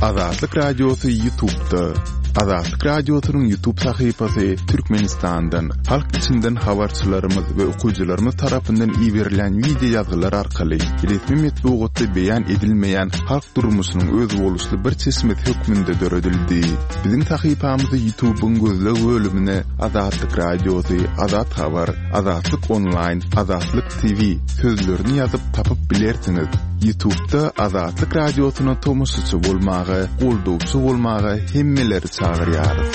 Azatlyk Radiosy Ýutubda. Azatlyk Radiosynyň Ýutub sahypasy Türkmenistandan, halk içinden habarçylarymyz we okyjylarymyz tarapyndan iberilýän wideo ýazgylar arkaly resmi metbugatda beýan edilmeýän halk durmuşynyň özboluşly bir çeşmesi hökmünde döredildi. Biziň sahypamyzy Ýutubyň gözleg bölümine Azatlyk Radiosy, Azat Habar, Azatlyk Onlaýn, Azatlyk TV sözlerini ýazyp tapyp bilersiňiz. Ýutubda Azatlyk Radiosyna tomaşaçy bolmaga, goldawçy bolmaga hemmeleri çagyrýarys.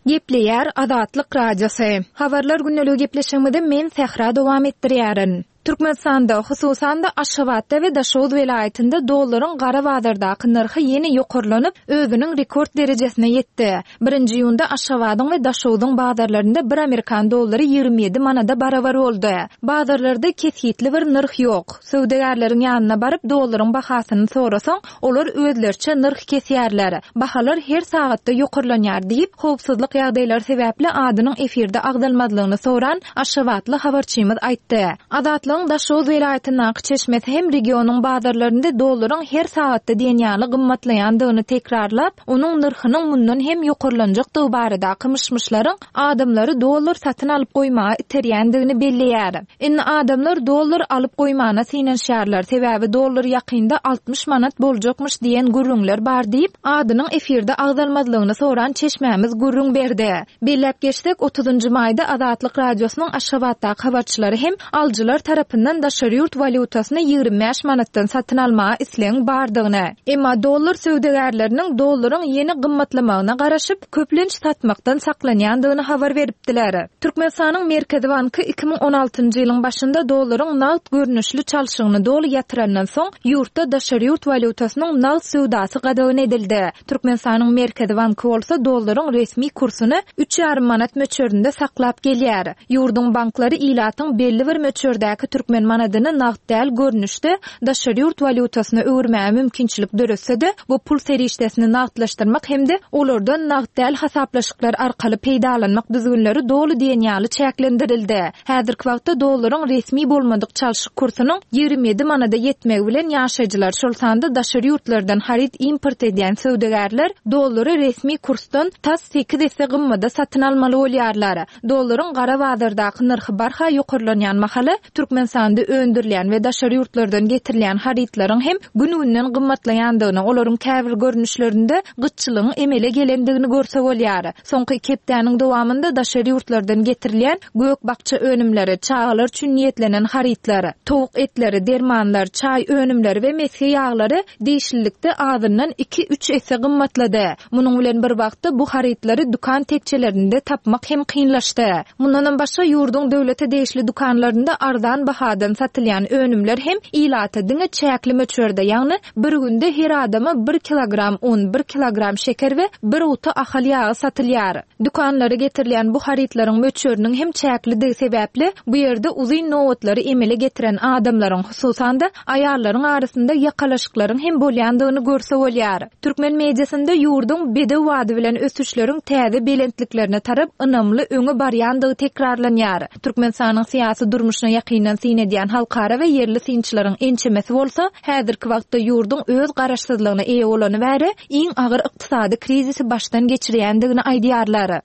Gepleýär Azatlyk Radiosy. Habarlar gündeligi gepleşigimizi men Sähra dowam etdirýärin. Türkmenistanda, hususan-da, Aşgabatda we Daşoguz welaýatynda dollaryň gara bazardaky nyrhy ýene ýokarlanyp, özüniň rekord derejesine ýetdi. Birinji iýunda Aşgabadyň we Daşogzuň bazarlarynda bir amerikan dollary 27 manada barabar boldy. Bazarlarda kesgitli bir nyrh ýok. Söwdagärleriň ýanyna baryp, dollaryň bahasyny sorasaň, olar özleriçe nyrh kesýärler. Bahalar her sagatda ýokarlanýar diýip, howpsuzlyk ýagdaýlary sebäpli adynyň efirde agzalmazlygyny soran aşgabatly habarçymyz aýtdy. Azatlygyň Daşoguz welaýatyndaky çeşmesi hem regionyň bazarlarynda dollaryň her sagatda diýen ýaly gymmatlaýandygyny tekrarlap, onuň nyrhynyň mundan hem ýokarlanjakdygy baradaky myş-myşlaryň adamlary dollar satyn alyp goýmaga iterýändigini belleýär. Indi adamlar dollar alyp goýmana synanyşýarlar, sebäbi dollar ýakynda 60 manat boljakmyş diýen gürrüňler bar diýip, adynyň efirde agzalmazlygyny soran çeşmämiz gürrüň berdi. Belläp geçsek, otuzynjy maýda Azatlyk Radiosynyň Aşgabatdaky habarçylary hem alyjylar tarapyndan daşary ýurt walýutasyny 25 manatdan satyn almaga islegiň bardygyny, emma dollar söwdagärleriniň dollaryň ýene gymmatlamagyna garaşyp, köplenç satmakdan saklanýandygyny habar beripdiler. Türkmenistanyň Merkezi banky 2016-njy ýylyň başynda dollaryň nagt görnüşli çalşygyny doly ýatyrandan soň, ýurtda daşary ýurt walýutasynyň nagt söwdasy gadagan edildi. Türkmenistanyň Merkezi banky bolsa dollaryň resmi kursuny üç ýarym manat möçberinde saklap gelýär. Ýurduň banklary ilatyň belli bir möçberdäki türkmen manadyny nagt däl görnüşde daşary ýurt walýutasyna öwürmäge mümkinçilik döretse-de, bu pul serişdesini nagtlaşdyrmak hem-de olardan nagt däl hasaplaşyklar arkaly peýdalanmak düzgünleri doly diýen ýaly çäklendirildi. Häzirki wagtda dollaryň resmi bolmadyk çalşyk kursunyň 27 manada ýetmegi bilen ýaşaýjylar, şol sanda daşary ýurtlardan haryt import edýän söwdagärler dollary resmi kursdan tas sekiz esse gymmada satyn almaly bolýarlar. Dollaryň gara bazardaky nyrhy barha ýokarlanýan mahaly, Türkmenistanda öndürilýän we daşary ýurtlardan getirilýän harytlaryň hem gün-günden gymmatlaýandygyny, olaryň käbir görnüşlerinde gytçylygyň emele gelendigini görse bolýar. Soňky iki hepdäniň dowamynda daşary ýurtlardan getirilýän gök-bakja önümleri, çagalar üçin niýetlenen harytlar, towuk etleri, dermanlar, çaý önümleri we mesge ýaglary degişlilikde azyndan iki-üç esse gymmatlady. Munuň bilen bir wagtda bu harytlary dükan tekjelerinde tapmak hem kynlaşdy. Mundanam başga ýurduň döwlete degişli dükanlarynda arzan bahadan satylýan önümler hem ilata diňe çäkli möçberde, ýagny bir günde her adama bir kilogram un, bir kilogram şeker we bir guty ahal ýagy satylýar. Dükanlara getirilýän bu harytlaryň möçberiniň hem çäklidigi sebäpli, bu ýerde uzyn nobatlary emele getiren adamlaryň, hususan-da, aýallaryň arasynda ýakalaşyklaryň hem bolýandygyny görse bolýar. Türkmen mediasynda ýurduň bedew bady bilen ösüşleriň täze belentliklerine tarap ynamly öňe barýandygy tekrarlanýar. Türkmenistanyň syýasy durmuşyna ýakyndan syn edýän halkara we ýerli synçylaryň ençemesi bolsa, häzirki wagtda ýurduň öz garaşsyzlygyna eýe bolany bäri iň agyr ykdysady krizisi başdan geçirýändigini aýdýarlar.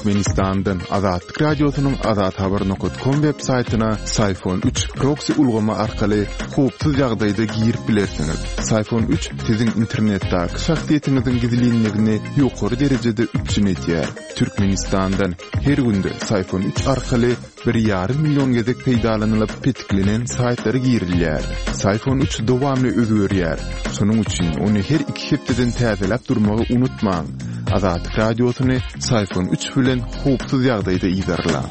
Türkmenistandan Azatlyk Radiosynyň Azathabar nokat kom web saýtyna Syfon 3 proksi ulgamy arkaly howpsuz ýagdaýda girip bilersiňiz. Syfon 3 siziň internetdäki şahsyýetiňiziň gizlinligini ýokary derejede üpjün edýär. Türkmenistandan her günde Syfon 3 arkaly Bir ýarym million gezek peýdalanylyp petiklenen saýtlara girilýär. Syfon 3 dowamly özgerýär. Şonuň üçin ony her iki hepdeden täzeläp durmagy unutmaň. Azatlyk Radiosyny Syfon 3 bilen howpsuz ýagdaýda yzarlaň.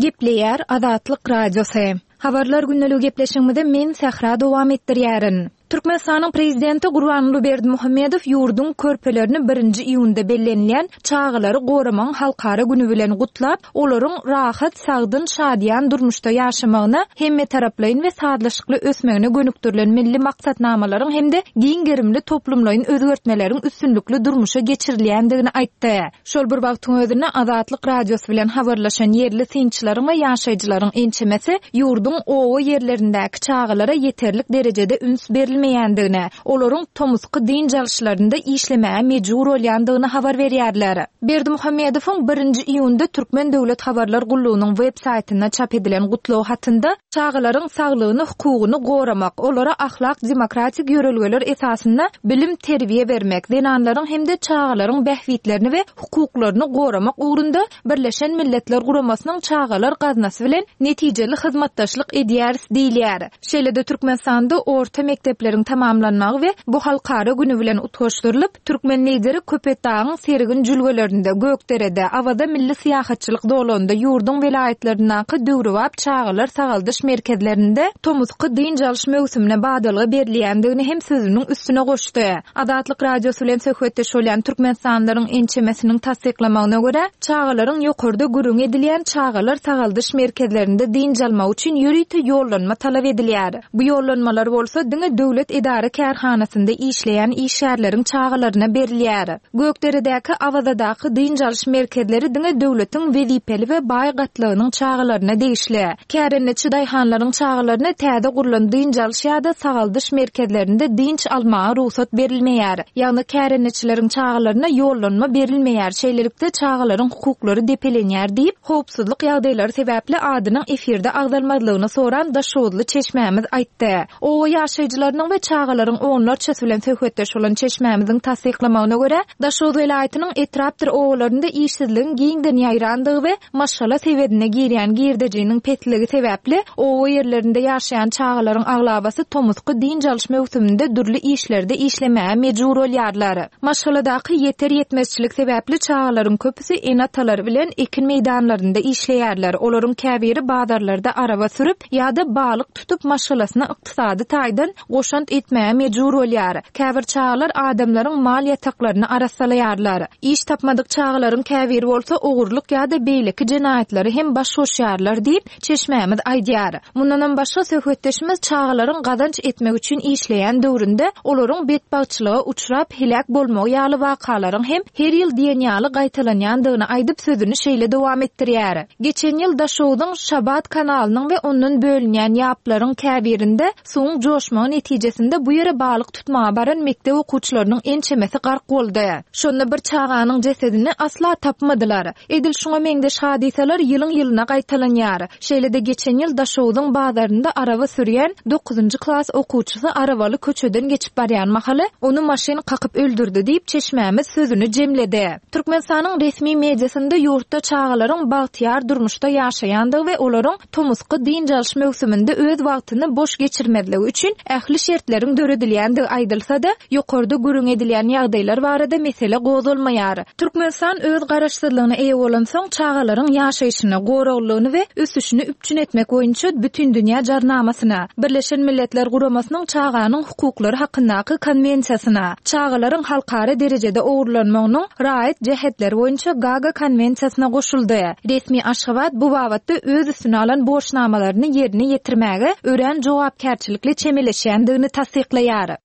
Gepleýär Azatlyk Radiosy. Habarlar gündeligi gepleşigimizi men Sähra dowam etdirýärin. Türkmenistanyň Prezidenti Gurbanguly Berdimuhamedow ýurduň körpelerini birinji iýunda bellenilýän Çagalary goramagyň halkara güni bilen gutlap, olaryň rahat, sagdyn, şadyýan durmuşda ýaşamagyna, hemmetaraplaýyn we sazlaşykly ösmegine gönükdirilen milli maksatnamalaryň hem-de giň gerimli toplumlaýyn özgertmeleriň üstünlikli durmuşa geçirilýändigini aýtdy. Şol bir wagtyň özünde Azatlyk Radiosy bilen habarlaşan ýerli synçylaryň we ýaşaýjylaryň ençemesi ýurduň oba ýerlerindäki çagalara ýeterlik derejede üns berilmeýändigini, olaryň tomusky dynç alyşlarynda işlemäge mejbur bolýandygyny habar berýärler. Berdimuhamedowyň birinji iýunda Türkmen döwlet habarlar gullugynyň web saýtynda çap edilen gutlag hatynda çagalaryň saglygyny, hukugyny goramak, olara ahlak-demokratik ýörelgeler esasynda bilim-terbiýe bermek, zenanlaryň hem-de çagalaryň bähbitlerini we hukuklaryny goramak ugrunda Birleşen Milletler Guramasynyň Çagalar gaznasy bilen netijeli hyzmatdaşlyk edýäris diýilýär. Şeýle-de Türkmenistanda orta mekdepleriň tamamlanmagy we bu halkara güni bilen utgaşdyrylyp, Türkmen Lideri Köpetdagyň sergin jülgelerinde, Gökderede, Awaza milli syýahatçylyk zolagynda, ýurduň welaýatlaryndaky döwrebap çagalar sagaldyş merkezlerinde tomusky dynç alyş möwsümine badalga berilýändigini hem sözüniň üstüne goşdy. Azatlyk Radiosy bilen söhbetdeş bolýan türkmenistanlylaryň ençemesiniň tassyklamagyna görä, çagalaryň ýokarda gürrüňi edilýän çagalar sagaldyş merkezlerinde dynç almagy üçin ýörite ýollanma talap edilýär. Bu ýollanmalar bolsa diňe döwlet edara-kärhanasynda işleýän işgärleriň çagalaryna berilýär. Gökderedäki, Awazadaky dynç alyş merkezleri diňe döwletiň wezipeli we baý gatlagynyň çagalaryna degişli. Kärendeçi daýhanlaryň çagalaryna täze gurlan dynç alyş ýa-da sagaldyş merkezlerinde dynç almaga rugsat berilmeýär. Ýagny kärendeçileriň çagalaryna ýollanma berilmeýär, şeýlelikde çagalaryň hukuklary depelenýär diýip, howpsuzlyk ýagdaýlary sebäpli adynyň efirde agzalmazlygyny soran daşoguzly çeşmämiz aýtdy. Oba ýaşaýjylarynyň we çagalaryň onlarçasy bilen söhbetdeş bolan çeşmämiziň tassyklamagyna görä, Daşoguz welaýatynyň etrapdyr obalarynda işsizligiň giňden ýaýrandygy we maşgala sebedine girýän girdejiniň pesligi sebäpli, oba ýerlerinde ýaşaýan çagalaryň aglabasy tomusky dynç alyş möwsüminde dürli işlerde işlemäge mejbur bolýarlar. Maşgaladaky ýeter-ýetmezçilik sebäpli çagalaryň köpüsi ene-atalary bilen ekin meýdanlarynda işleýärler, olaryň käbiri bazarlarda araba sürüp ýa-da balyk tutup maşgalasyna ykdysady taýdan goşant etmäge mejbur bolýar. Käbir çagalar adamlaryň mal ýataklaryny arassalaýarlar. Iş tapmadyk çagalaryň käbiri bolsa ogurlyk ýa-da beýleki jenaýatlara hem baş goşýarlar diýip, çeşmämiz aýdýar. Mundanam başga söhbetdeşimiz çagalaryň gazanç etmek üçin işleýän döwründe olaryň betbagtçylyga uçrap heläk bolmagy ýaly wakalaryň hem her ýyl diýen ýaly gaýtalanýandygyny aýdyp sözüni şeýle dowam etdirýär. Geçen ýyl Daşogzuň Şabat kanalynyň we ondan bölünýän ýaplaryň käbirinde suwuň joşmagy netijesinde bu ýere balyk tutmaga baran mekdep okuwçylarynyň ençemesi gark boldy. Şonda bir çaganyň jesedini asla tapmadylar. Edil şuňa meňzeş hadysalar ýylyň-ýylyna gaýtalanýar. Şeýle-de geçen ýyl Daşogzuň bazarynda araba sürýän dokuzynjy klas okuwçysy arabaly köçeden geçip barýan mahaly ony maşyn kakyp öldürdi diýip, çeşmämiz sözüni jemledi. Türkmenistanyň resmi mediasynda ýurtda çagalaryň bagtyýar durmuşda ýaşaýandygy we olaryň tomusky dynç alyş möwsüminde öz wagtyny boş geçirmezligi üçin ähli şertleriň döredilýändigi aýdylsa-da, ýokarda gürrüň edilýän ýagdaýlar barada mesele gozgalmaýar. Türkmenistan öz garaşsyzlygyna eýe bolansoň, çagalaryň ýaşaýşyny, goraglylygyny we ösüşini üpjün etmek boýunça Bütindünýä Jarnamasyna, Birleşen Milletler Guramasynyň Çaganyň hukuklary hakyndaky Konwensiýasyna, Çagalaryň halkara derejede ogurlanmagynyň raýat jähetleri boýunça Gaga Konwensiýasyna goşuldy. Resmi Aşgabat bu babatda öz üstüne alan borçnamalaryny ýerine ýetirmäge örän jogapkärçilikli çemeleşýändigini tassyklaýar.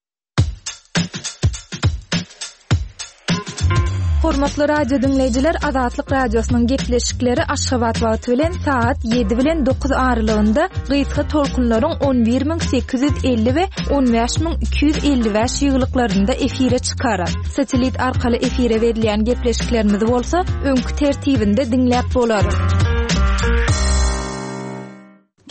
Hormatly radio diňleýjiler, Azatlyk Radiosynyň gepleşikleri Aşgabat wagty bilen sagat 7 bilen 9 aralygynda gysga tolkunlaryň 11850 we 15255 ýygylyklarynda efire çykar. Satellit arkaly efire berilýän gepleşiklerimizi bolsa öňki tertibinde diňläp bolar.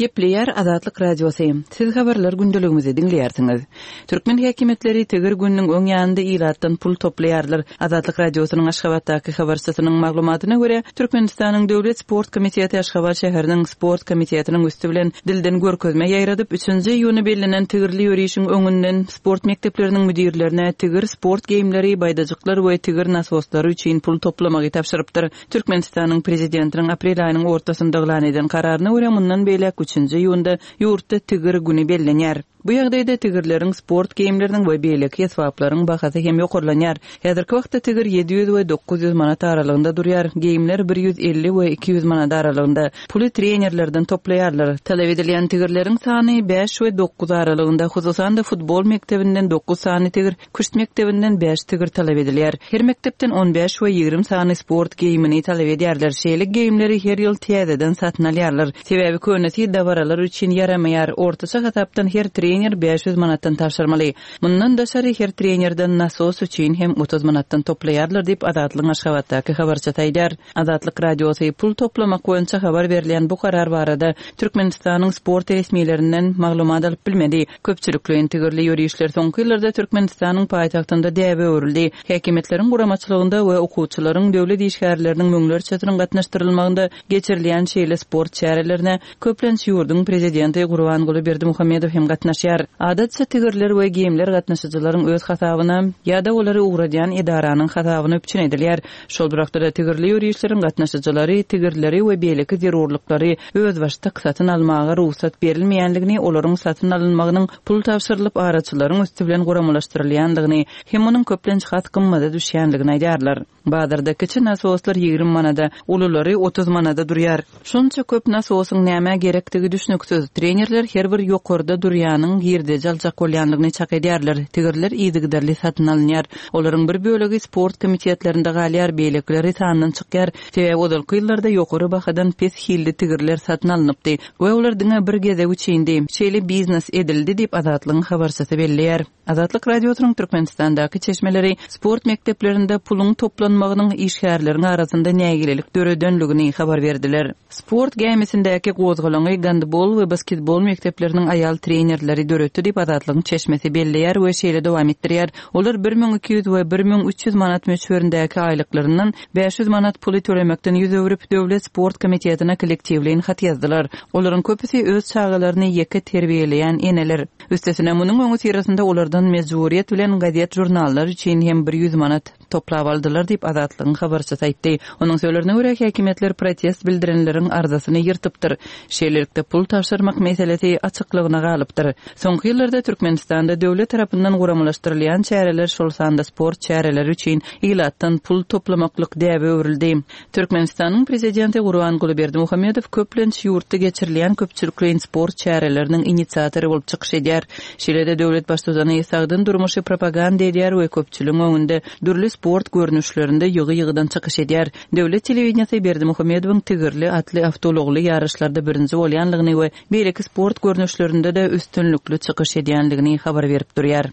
Gepleýär Azatlyk Radiosy. Siz habarlar gündeligimizi diňleýärsiňiz. Türkmen häkimiýetleri tigir gününiň öň ýanynda ilatdan pul toplaýarlar. Azatlyk Radiosynyň Aşgabatdaky habarçysynyň maglumatyna görä, Türkmenistanyň Döwlet sport komiteti Aşgabat şäheriniň sport komitetiniň üsti bilen dilden görkezme ýaýradyp, üçünji iýuna bellenen tigirli ýörişiň öňünden sport mekdepleriniň müdirlerine tigir sport geýimleri, baýdajyklar we tigir nasoslary üçin pul toplamagy tabşyrypdyr. Türkmenistanyň Prezidentiniň aprel aýynyň ortasynda yglan eden kararyna görä, mundan beýläk üçünji iýunda ýurtda Tigir güni bellenýär. Bu ýagdaýda tigirleriň, sport geýimleriniň we beýleki esbaplaryň bahasy hem ýokarlanýar. Häzirki wagtda tigir 700 we 900 manat aralygynda durýar, geýimler 150 we 200 manat aralygynda. Puly trenerlerden toplaýarlar. Talap edilýän tigirleriň sany bäş we dokuz aralygynda, hususan-da futbol mekdebinden dokuz sany tigir, Küşt mekdebinden bäş tigir talap edilýär. Her mekdepden on bäş we 20 sany sport geýimini talap edýärler. Şeýle geýimleri her ýyl täzeden satyn alýarlar. Sebäbi könesi dabaralar üçin ýaramaýar. Ortaça hasapdan her trener 500 manatdan tabşyrmaly. Mundan daşary her trenerden nasos üçin hem 30 manatdan toplaýarlar diýip, Azatlygyň Aşgabatdaky habarçysy aýdýar. Azatlyk Radiosy pul toplamak boýunça habar berilýän bu karar barada Türkmenistanyň sport resmilerinden maglumat alyp bilmedi. Köpçülikleýin tigirli ýörişler soňky ýyllarda Türkmenistanyň paýtagtynda däbe öwrüldi. Häkimiýetleriň guramaçylygynda we okuwçylaryň, döwlet işgärleriniň müňlerçesiniň gatnaşdyrylmagynda geçirilýän şeýle sport çärelerine, köplenç, ýurduň prezidenti Gurbanguly Berdimuhamedow hem gatnaşýar. Adatça, tigirler we geýimler gatnaşyjylaryň öz hasabyna ýa-da olary ugradýan edaranyň hasabyna üpjün edilýär. Şol bir wagtda-da tigirli ýörişleriň gatnaşyjylary tigirleri we beýleki zerurlyklary özbaşdak satyn almaga rugsat berilmeýändigini, olaryň satyn alynmagynyň pul tabşyrylyp araçylaryň üsti bilen guramalaşdyrylýandygyny hem munuň köplenç has gymmada düşýändigini aýdýarlar. Bazarda kiçi nasoslar 20 manada, ululary 30 manada durýar. Şonça köp nasosyň nämä gerekdigi düşnüksiz. Trenerler her bir ýokarda durýanyň girdeji aljak bolýandygyny çak edýärler. Tigirler yzygiderli satyn alynýar. Olaryň bir bölegi sport komitetlerinde galýar, beýlekileri sandan çykýar. Sebäbi ozalky ýyllarda ýokary bahadan pes hilli tigirler satyn alnypdy we olar diňe bir gezek üçindi. Şeýle biznes edildi diýip, Azatlygyň habarçysy belleýär. Azatlyk Radiosynyň Türkmenistandaky çeşmeleri sport mekdeplerinde puluň toplanmagynyň işgärleriň arasynda nägilelik döredenligini habar berdiler. Sport gämisindäki gozgalaňy gandbol we basketbol mekdepleriniň aýal trenerleri döretdi diýip, Azatlygyň çeşmesi belleýär we şeýle dowam etdirýär, Olar 1200 we 1300 manat möçberindäki aýlyklaryndan 500 manat puly tölemekden ýüz öwrüp, Döwlet sport komitetine kollektiwleýin hat ýazdylar. Olaryň köpüsi öz çagalaryny ýeke terbiýeleýän eneler. Üstesine, munuň öňüsyrasynda olardan mejburyýet bilen gazet-žurnallar üçin hem bir ýüz manat toplap aldylar diýip, Azatlygyň habarçysy aýtdy. Onuň sözlerine görä, häkimiýetler protest bildirenleriň arzasyny ýyrtypdyr. Şeýlelikde, pul tabşyrmak meselesi açyklygyna galypdyr. Soňky ýyllarda Türkmenistanda döwlet tarapyndan guramalaşdyrylýan çäreler, şol sanda sport çäreleri üçin ilatdan pul toplamaklyk däbe öwrüldi. Türkmenistanyň Prezidenti Gurbanguly Berdimuhamedow köplenç ýurtda geçirilýän köpçülikleýin sport çäreleriniň inisiatory bolup çykyş edýär. Şeýle-de döwlet Baştutany sagdyn durmuşy propaganda edýär we köpçüligiň öňünde dürli sport görnüşlerinde ýygy-ýygydan çykyş edýär. Döwlet telewideniýesi Berdimuhamedowyň tigirli atly awtoulagly ýaryşlarda birinji bolýanlygyny we beýleki sport görnüşlerinde-de üstünlikli çykyş edýänligini habar berip durýar.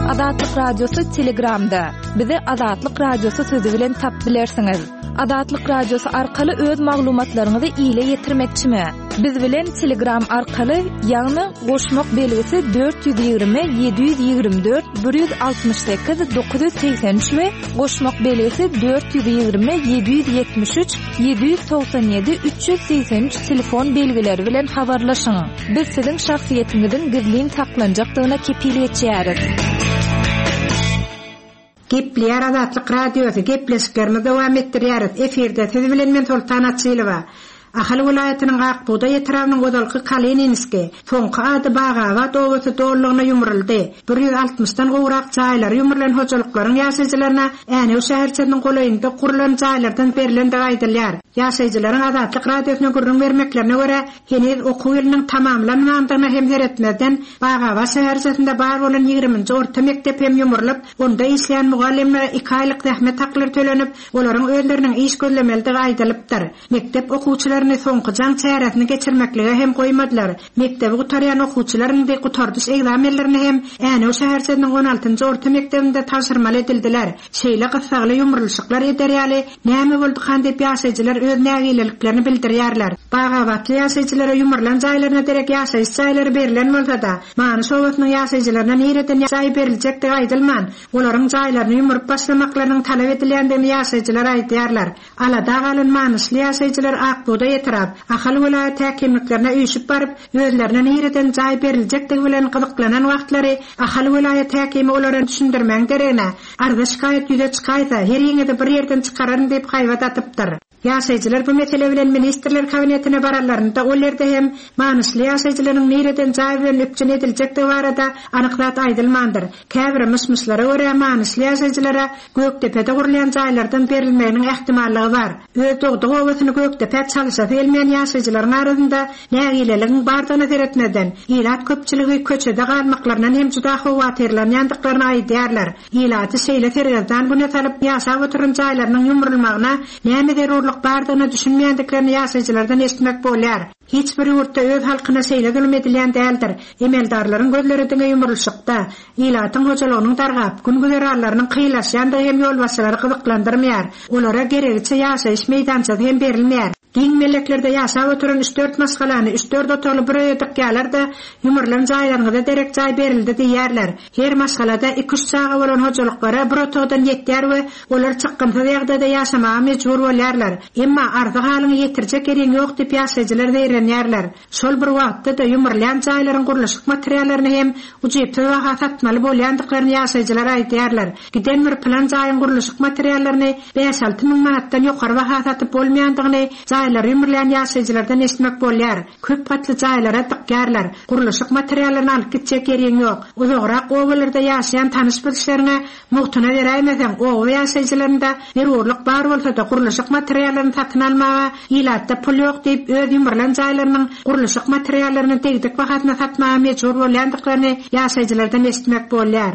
Azatlyk Radiosy Telegramda. Bizi Azatlyk Radiosy sözi bilen tap bilersiňiz. Azatlyk Radiosy arkaly öz maglumatlaryňyzy ile ýetirmekçimi? Biz bilen Telegram arkaly, ýagny goşmak belgisi 420 724 168 983 we goşmak belgisi 420 773 797 383 telefon belgileri bilen habarlaşyň. Biz siziň şahsyýetiňiziň gizlin saklanjakdygyna kepil geçýäris. Gepleýär Azatlyk Radiosy, gepleşiklerimizi dowam etdirýäris. Efirde siz bilen men Soltan Açylowa. Ahal welaýatynyň Ak bugdaý etrabynyň ozalky Kalininskiý, soňky ady Bagabat obasy dolulygyna ýumruldy. 160-dan gowrak jaýlary ýumrulan hojalyklaryň ýaşaýjylaryna Änew şäherçesiniň golaýynda gurlan jaýlardan berlendigi aýdylýar. Ýaşaýjylaryň Azatlyk Radiosyna gürrüň bermeklerine görä, Heniz okuw ýylynyň tamamlanmandygyna hem seretmezden, Bagabat şäherçesinde bar bolan ýigriminji orta mekdep hem ýumrulyp, onda işleýän mugallymlara iki aýlyk zähmet haklary tölenip, olaryň özleriniň iş gözlemelidigi aýdylypdyr. Mekdep okuwçylaryny soňky jaň çäresini geçirmeklige hem goýmadylar. Mekdebi gutarýan okuwçylar indi gutardyş ekzamenlerini hem Änew şäherçesiniň on altynjy orta mekdebinde tabşyrmaly edildiler. Şeýle gyssagly ýumrulyşyklar eder ýaly näme boldukan diýip ýaşaýjylar öz nägileliklerini bildirýärler. Bagabatly ýaşaýjylara ýumrulan jaýlaryna derek ýaşaýyş jaýlary berlen bolsa-da, Manyş obasynyň ýaşaýjylaryna nireden jaý beriljekdigi aýdylman, olaryň jaýlaryny ýumrup başlamaklarynyň talap edilýändigini ýaşaýjylar aýdýarlar. Alada galan manyşly ýaşaýjylar Ak bugdaý etrap, Ahal welaýat häkimliklerine üýşüp baryp, özlerine nireden jaý beriljekdigi bilen gyzyklanan wagtlary Ahal welaýat häkimi olara düşündirmegiň deregine, arza-şikaýat ýüze çykaýsa, heriňizi bir ýerden çykararyn diýip haýbat atypdyr. Ýaşaýjylar bu mesele bilen Ministrler Kabinetine baranlarynda ol ýerde hem manyşly ýaşaýjylaryň nireden jaý bilen üpjün ediljekdigi barada anyk zat aýdylmandyr. Käbir myş-myşlara görä, manyşly ýaşaýjylara Gökdepede gurulýan jaýlardan berilmeginiň ähtimallygy bar. Öz dogduk obasyny Gökdepä çalyşasy gelmeýän ýaşaýjylaryň arasynda nägileligiň bardygyna seretmezden, ilat köpçüligi köçede galmaklaryndan hem juda howatyrlanýandyklaryny aýdýarlar. Ilaty şeýle sergezdan güne salyp, ýaşap oturan jaýlarynyň ýumrulmagyna näme zerurlyk bardygyna düşünmeýändiklerini ýaşaýjylardan eşitmek bolýar. Hiç bir ýurtda öz halkyna şeýle zulum edilýän däldir. Emeldarlaryň gözleri diňe ýumrulyşykda. Ilatyň hojalygynyň dargap, gün-güzeranlarynyň kynlaşýandygy hem ýolbaşçylary gyzyklandyrmaýar. Olara geregiçe ýaşaýyş meýdançasy hem berilmeýär. Giň melleklerde ýaşap oturan üç-dört maşgalany üç-dört otagly bir öýe dykýarlar-da, ýumrulan jaýlaryňyza derek jaý berildi diýýärler. Her maşgalada iki-üç çaga bolan hojalyklara bir otagdan ýetýär we olar çykgynsyz ýagdaýda ýaşamaga mejbur bolýarlar. Emma arzy-halyňy ýetirjek ýeriň ýok diýip ýaşaýjylar zeýrenýärler. Şol bir wagtda-da ýumrulýan jaýlaryň gurluşyk materiallaryny hem ujypsyz baha satmaly bolýandyklaryny ýaşaýjylar aýdýarlar. Giden bir pylan jaýyň gurluşyk materiallaryny bäş-alty müň manatdan ýokary baha satyp bolmaýandygyny jaýlary ýumrulýan ýaşaýjylardan eşitmek bolýar. Köp gatly jaýlara dykýarlar. Gurluşyk materiallaryny alyp gitjek ýeriň ýok. Uzagrak obalarda ýaşaýan tanyş-bilişleriňe Mugtuna beräýmeseň, oba ýaşaýjylarynda zerurlyk bar bolsa-da, gurluşyk materiallaryny satyn almaga ilatda pul ýok diýip, öz ýumrulan jaýlarynyň gurluşyk materiallaryny degdik bahasyna satmaga mejbur bolýandyklaryny ýaşaýjylardan eşitmek bolýar.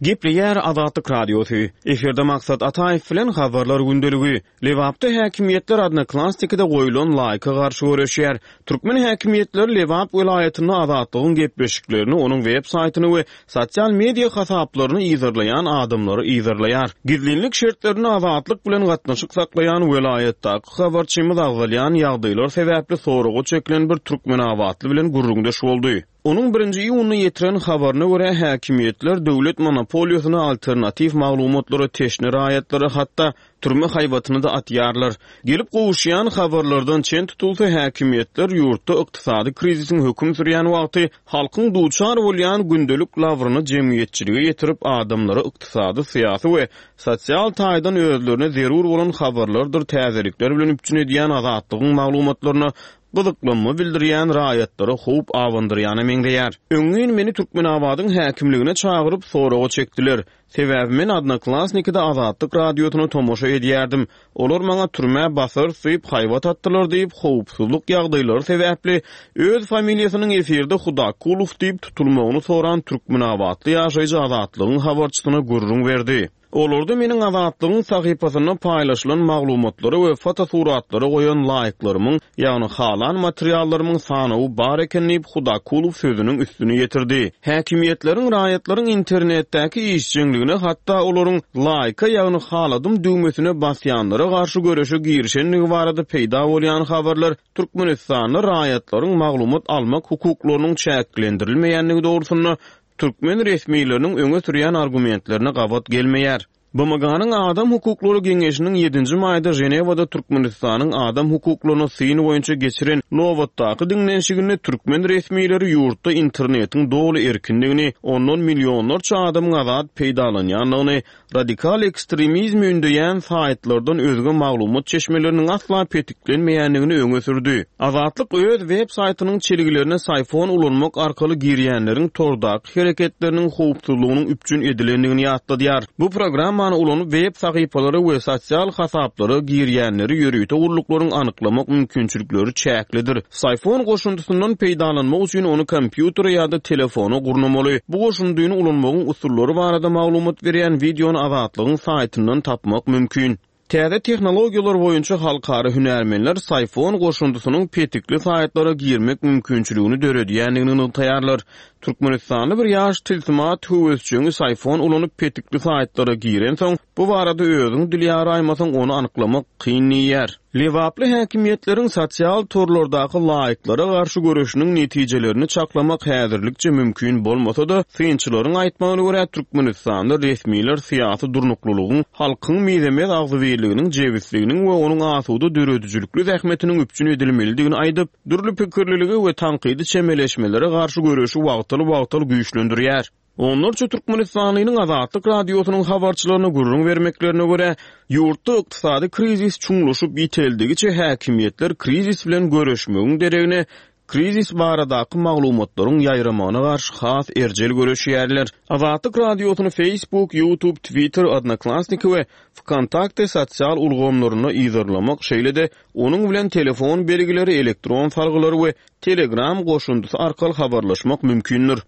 Gepleýär Azatlyk Radiosy. Efirde Maksat Ataýew bilen Habarlar gündeligi. Lebapda häkimiýetler Odnoklassnikide goýlan laýka garşy göreşýär. Türkmen häkimiýetleri Lebap welaýatynda Azatlygyň gepleşiklerini, onuň web saýtyny we sosial media hasaplaryny yzarlaýan adamlary yzarlaýar. Gizlinlik şertlerinde Azatlyk bilen gatnaşyk saklaýan welaýatdaky habarçymyz agzalýan ýagdaýlar sebäpli soraga çekilen bir türkmenabatly bilen gürrüňdeş boldy. Onuň birinji iýunda ýetiren habaryna görä, häkimiýetler döwlet monopoliýasyna alternatiw maglumatlara teşne raýatlara hatda türme haýbatyny-da atýarlar. Gelip gowuşýan habarlardan çen tutulsa, häkimiýetler ýurtda ykdysady krizisiň höküm sürýän wagty halkyň duçar bolýan gündelik labryny jemgyýetçilige ýetirip, adamlary ykdysady, syýasy we sosial taýdan özlerine zerur bolan habarlardyr täzelikler bilen üpjün edýän Azatlygyň maglumatlaryna gyzyklanma bildirýän raýatlara howp abandyrýana meňzeýär. Öňňin meni Türkmenabadyň häkimligine çagyryp, soraga çekdiler. Sebäbi men Odnoklassnikide Azatlyk Radiosyna tomaşa edýärdim. Olar maňa türmä basarys diýip haýbat atdylar diýip, howpsuzlyk ýagdaýlary sebäpli öz familiýasynyň efirde Hudakulow diýip tutulmagyny soran türkmenabatly ýaşaýjy Azatlygyň habarçysyna gürrüň berdi. Olarda meniň Azatlygyň sahypasynda paýlaşylan maglumatlara we fotosuratlara goýan laýklarymyň, ýagny halan materiallarymyň sanawy bar eken diýip, Hudakulow sözüniň üstüni ýetirdi. Häkimiýetleriň raýatlaryň internetdäki işjeňligine, hatda olaryň laýka, ýagny haladym düwmesine basýanlara garşy göreşe girişendigi barada peýda bolýan habarlar Türkmenistanda raýatlaryň maglumat almak hukuklarynyň çäklendirilmeýändigi dogrusynda türkmen resmileriniň öňe sürýän argumentlerine gabat gelmeýär. BMG-niň Adam hukuklary geňeşiniň ýedinji maýda Ženewada Türkmenistanyň adam hukuklaryna syn boýunça geçiren nobatdaky diňlenişiginde türkmen resmileri ýurtda internetiň doly erkindigini, ondan millionlarça adamyň azat peýdalanýandygyny, Radikal ekstremizmi ündeýän saýtlardan özge maglumat çeşmeleriniň asla petiklenmeýändigini öňe sürdi. Azatlyk öz web saýtynyň çelgilerine Syphon ulanmak arkaly girýänleriň tordaky hereketleriniň howpsuzlygynyň üpjün edilendigini ýatladýar. Bu programmany ulanyp web sahypalara we sosial hasaplara girýänleri ýörite gulluklaryň anyklamak mümkinçilikleri çäklidir. Syphon goşundysyndan peýdalanmak üçin ony kompýutere ýa-da telefona gurnamaly. Bu goşundyny ulanmagyň usullary barada maglumat berýän wideony Azatlygyň saýtyndan tapmak mümkin. Täze tehnologiýalar boýunça halkara hünärmenler Syphon goşundysynyň petikli saýtlara girmek mümkinçiligini döredýändigini nygtaýarlar. Türkmenistanly bir ýaş tilsimat höwesjeňi Syphon ulanyp petikli saýtlara girensoň, bu barada özüň dil ýaraýmasaň ony anyklamak kyn diýýär. Lebaply häkimiýetleriň sosial torlardaky laýklara garşy göreşiniň netijelerini çaklamak häzirlikçe mümkin bolmasa-da, synçylaryň aýtmagyna görä, Türkmenistanda resmiler syýasy durnuklylygyň, halkyň mizemez agzybirliginiň, jebisliginiň we onuň asuda döredijilikli zähmetiniň üpjün edilmelidigini aýdyp, dürli pikirlilige we tankydy çemeleşmelere garşy göreşi wagtal-wagtal güýçlendirýär. Onlarça türkmenistanlynyň Azatlyk Radiosynyň habarçylaryna gürrüň bermeklerine görä, ýurtda ykdysady krizis çuňlaşyp ýiteldigiçe häkimiýetler krizis bilen göreşmegiň deregine krizis baradaky maglumatlaryň ýaýramagyna garşy has erjel göreşýärler. Azatlyk Radiosyny Facebook, YouTube, Twitter, Odnoklassniki we Wkontakte sosial ulgamlarynda yzarlamak, şeýle-de onuň bilen telefon belgileri, elektron salgylary we Telegram goşundysy arkaly habarlaşmak mümkindir.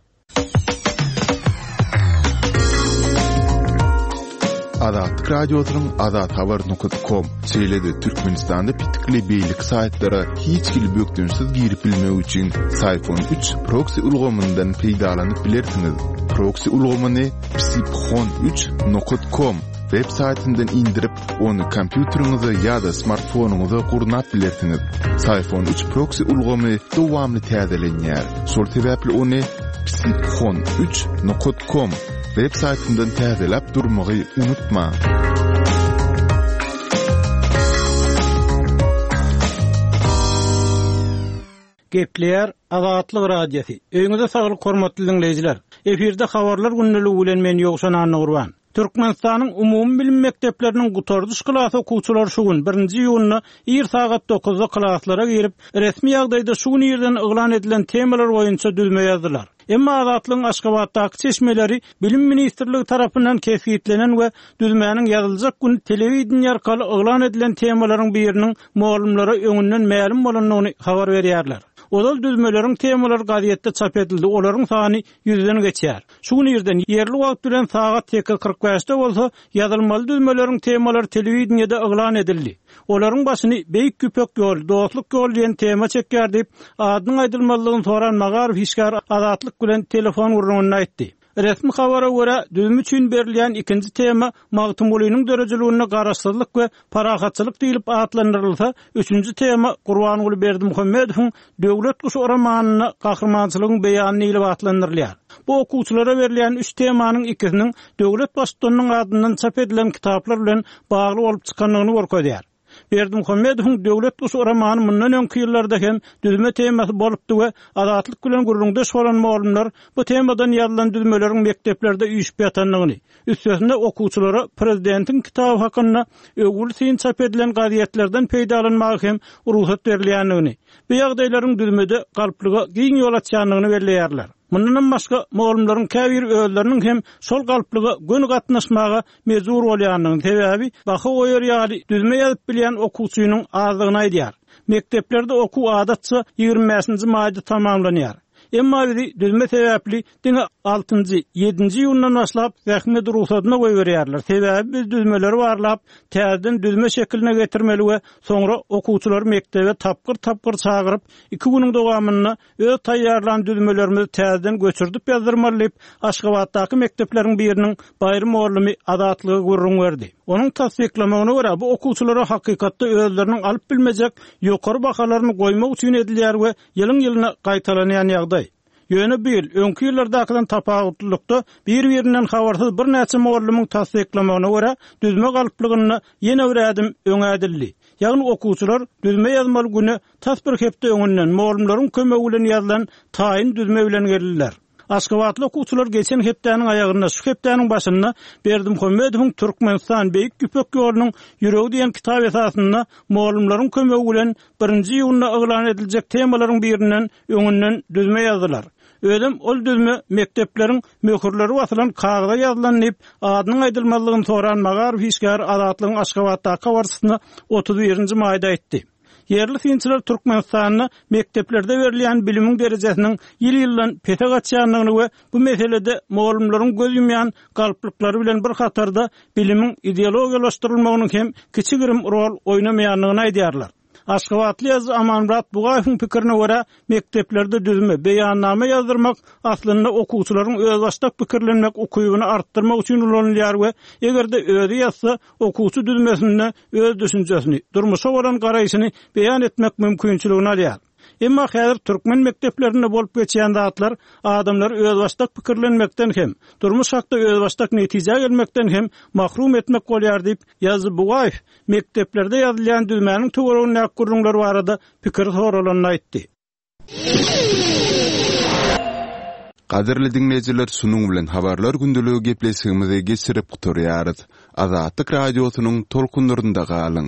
Azatlyk Radiosynyň azathabar nokat kom, şeýle-de Türkmenistanda petikli beýleki saýtlara hiç hili bökdençsiz girip bilmek üçin Syfon üç proksi ulgamyndan peýdalanyp bilersiňiz. Proksi ulgamyny psiphon üç nokat kom web saýtyndan indirip, Ony kompýuteriňize ýa-da smartfonyňyza gurnap bilersiňiz. Syfon üç proksi ulgamy dowamly täzelenýär. Şol sebäpli ony psiphon üç nokat kom web saýtyndan täzeläp durmagy unutmaň. Gepleýär Azatlyk Radiosy. Öýüňize saglyk hormatly diňleýjiler. Efirde habarlar gündeligi bilen men Ýowşan Annagurban. Türkmenistanyň umumybilim mekdepleriniň gutardyş klas okuwçylary şu gün, birinji iýunda ir sagat dokuzda klaslara girip, resmi ýagdaýda şu gün irden yglan edilen temalar boýunça düzme ýazdylar. Emma Azatlygyň Aşgabatdaky çeşmeleri Bilim ministrligi tarapyndan kesgitlenen we düzmäniň ýazyljak güni telewideniýe arkaly yglan edilen temalaryň biriniň mugallymlara öňünden mälim bolandygyny habar berýärler. Ozal düzmeleriň temalary gazetde çap edildi, olaryň sany ýüzden geçýär. Şu gün irden, ýerli wagt bilen sagat 8.45-de bolsa, ýazylmaly düzmeleriň temalary telewideniýede yglan edildi. Olaryň başyny Beýik Ýüpek ýoly, dostluk ýoly diýen tema çekýär diýip, adynyň aýdylmazlygyny soran magaryf işgäri Azatlyk bilen telefon gürrüňinde aýtdy. Resmi habara görä, düzüm üçin berilýän ikinji tema Magtymgulynyň döredijiliginde garaşsyzlyk we parahatçylyk diýlip atlandyrylsa, üçünji tema Gurbanguly Berdimuhamedowyň Döwlet guşy romanynda gahrymançylygyň beýany diýlip atlandyrylýar. Bu okuwçylara berilýän üç temanyň ikisiniň döwlet Baştutanynyň adyndan çap edilen kitaplar bilen bagly bolup çykandygyny görkezýär. Berdimuhamedowyň Döwlet guşy romany mundan öňki ýyllarda hem düzme temasy bolupdy we Azatlyk bilen gürrüňdeş bolan mugallymlar bu temadan ýazylan düzmeleriň mekdeplerde üýşüp ýatandygyny, üstesine okuwçylara prezidentiň kitaby hakynda öwgüli syn çap edilen gazetlerden peýdalanmaga hem rugsat berilýändigini, bu ýagdaýlaryň düzmede galplyga giň ýol açýandygyny belleýärler. Mundanam başga, mugallymlaryň käbiri özleriniň hem şol galplyga göni gatnaşmaga mejbur bolýandygyny, sebäbi baha goýar ýaly düzme ýazyp bilýän okuwçynyň azdygyny aýdýar. Mekdeplerde okuw adatça 25-nji maýda tamamlanýar. Emma bizi düzme sebäpli diňe altynjy, ýedinji iýundan başlap zähmet rugsadyna goýberýärler. Sebäbi biz düzmeleri barlap, täzeden düzme şekiline getirmeli we soňra okuwçylary mekdebe tapgyr-tapgyr çagyryp, iki günüň dowamynda öz taýýarlan düzmelerimizi täzeden göçürdip ýazdyrmaly diýip, Aşgabatdaky mekdepleriň biriniň baýry mugallymy Azatlyga gürrüň berdi. Onuň tassyklamagyna görä, bu okuwçylara hakykatda özleriniň alyp bilmejek ýokary bahalaryny goýmak üçin edilýär we ýylyň-ýylyna gaýtalanýan ýagdaý. Ýöne bu ýyl, öňki ýyllardakydan tapawutlylykda, bir-birinden habarsyz birnäçe mugallymyň tassyklamagyna görä, düzme galplygynda ýene bir ädim öňe ädildi. Ýagny okuwçylar düzme ýazmaly güne tas bir hepde öňünden, mugallymlaryň kömegi bilen ýazylan taýyn düzme bilen geldiler. Aşgabatly okuwçylar geçen hepdäniň aýagynda, şu hepdäniň başynda Berdimuhamedowyň Türkmenistan, Beýik Ýüpek ýolunyň ýüregi diýen kitap esasynda mugallymlaryň kömegi bilen birinji iýunda yglan ediljek temalaryň birinden öňünden düzme ýazdylar. Özem ol düzme mekdepleriň möhürleri basylan kagyza ýazylan diýip, adynyň aýdylmazlygyny soran magaryf işgäri Azatlygyň Aşgabatdaky habarçysyna 31-nji maýda aýtdy. Ýerli synçylar Türkmenistanda mekdeplerde berilýän bilimiň derejesiniň ýyl-ýyldan pese gaçýandygyny we bu meselede mugallymlaryň göz ýumýan galplyklary bilen bir hatarda bilimiň ideologiýalaşdyrylmagynyň hem kiçi-girim rol oýnamaýandygyny aýdýarlar. Aşgabatly ýazyjy Amanmyrat Bugaýewiň pikirine görä, mekdeplerde düzme, beýannama ýazdyrmak aslynda okuwçylaryň özbaşdak pikirlenmek ukybyny artdyrmak üçin ulanylýar we eger-de özi ýazsa, okuwçy düzmesinde öz düşünjesini, durmuşa bolan garaýşyny beýan etmek mümkinçiligini alýar. Emma häzir türkmen mekdeplerinde bolup geçýän zatlar adamlary özbaşdak pikirlenmekden hem, durmuş hakda özbaşdak netijä gelmekden hem mahrum etmek bolýar diýip, ýazyjy Bugaýew mekdeplerde ýazylýan düzmäniň töweregindäki gürrüňler barada pikiri soralanda aýtdy. Gadyrly diňleýjiler şunuň bilen Habarlar gündeligi gepleşigimizi geçirip gutarýarys. Azatlyk Radiosynyň tolkunlarynda galyň!